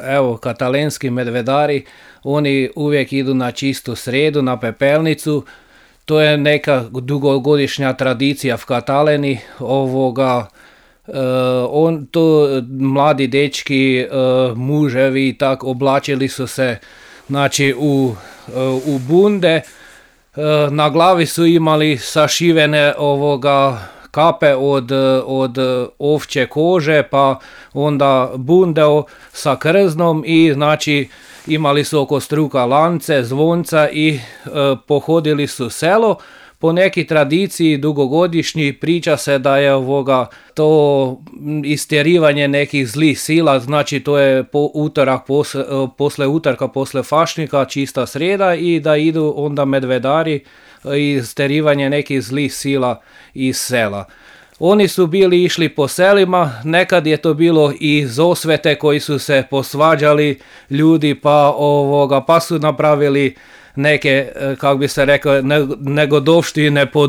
Evo, katalenski medvedari, oni uvijek idu na čistu srijedu, na pepelnicu. To je neka dugogodišnja tradicija v Kataleni. Mladi dečki, muževi tak oblačili su se, znači, u bunde. Na glavi su imali sašivene kape od ovčje kože, pa onda bundeo sa krznom i znači imali su oko struka lance, zvonca i pohodili su selo. Po neki tradiciji dugogodišnji priča se da je to istjerivanje nekih zlih sila, znači to je posle utorka, posle fašnika, čista srijeda i da idu onda medvedari i istjerivanje nekih zlih sila iz sela. Oni su bili išli po selima, nekad je to bilo i zosvete koji su se posvađali ljudi pa su napravili neke, kako bi se rekao, negodovštine po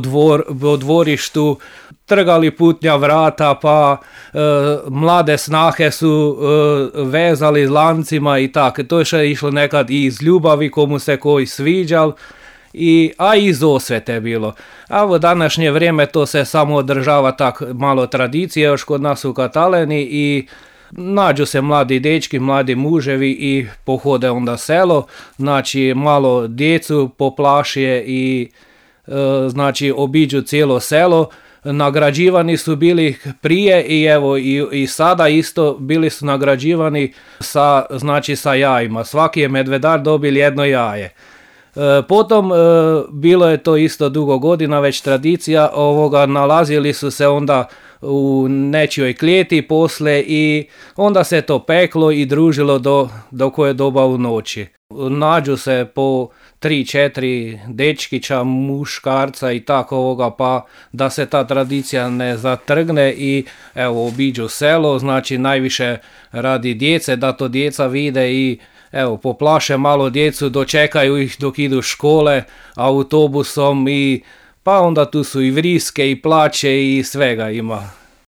dvorištu, trgali putnja vrata, pa mlade snahe su vezali lancima i tako. To je išlo nekad i iz ljubavi komu se koji sviđal, a i iz osvete bilo. A u današnje vrijeme to se samo održava tak malo tradicije još kod nas u Kataleni i nađu se mladi dečki, mladi muževi i pohode onda selo, znači malo djecu poplašije i znači obiđu cijelo selo. Nagrađivani su bili prije i evo i sada isto bili su nagrađivani sa jajima. Svaki je medvedar dobil jedno jaje. Potom bilo je to isto dugo godina već tradicija nalazili su se onda u nečijoj klijeti posle i onda se to peklo i družilo do koje doba u noći. Nađu se po 3-4 dečkića, muškarca i tako pa da se ta tradicija ne zatrgne i evo obiđu selo, znači najviše radi djece, da to djeca vide i evo poplaše malo djecu, dočekaju ih dok idu škole autobusom pa onda tu su i vriske i plaće i svega ima.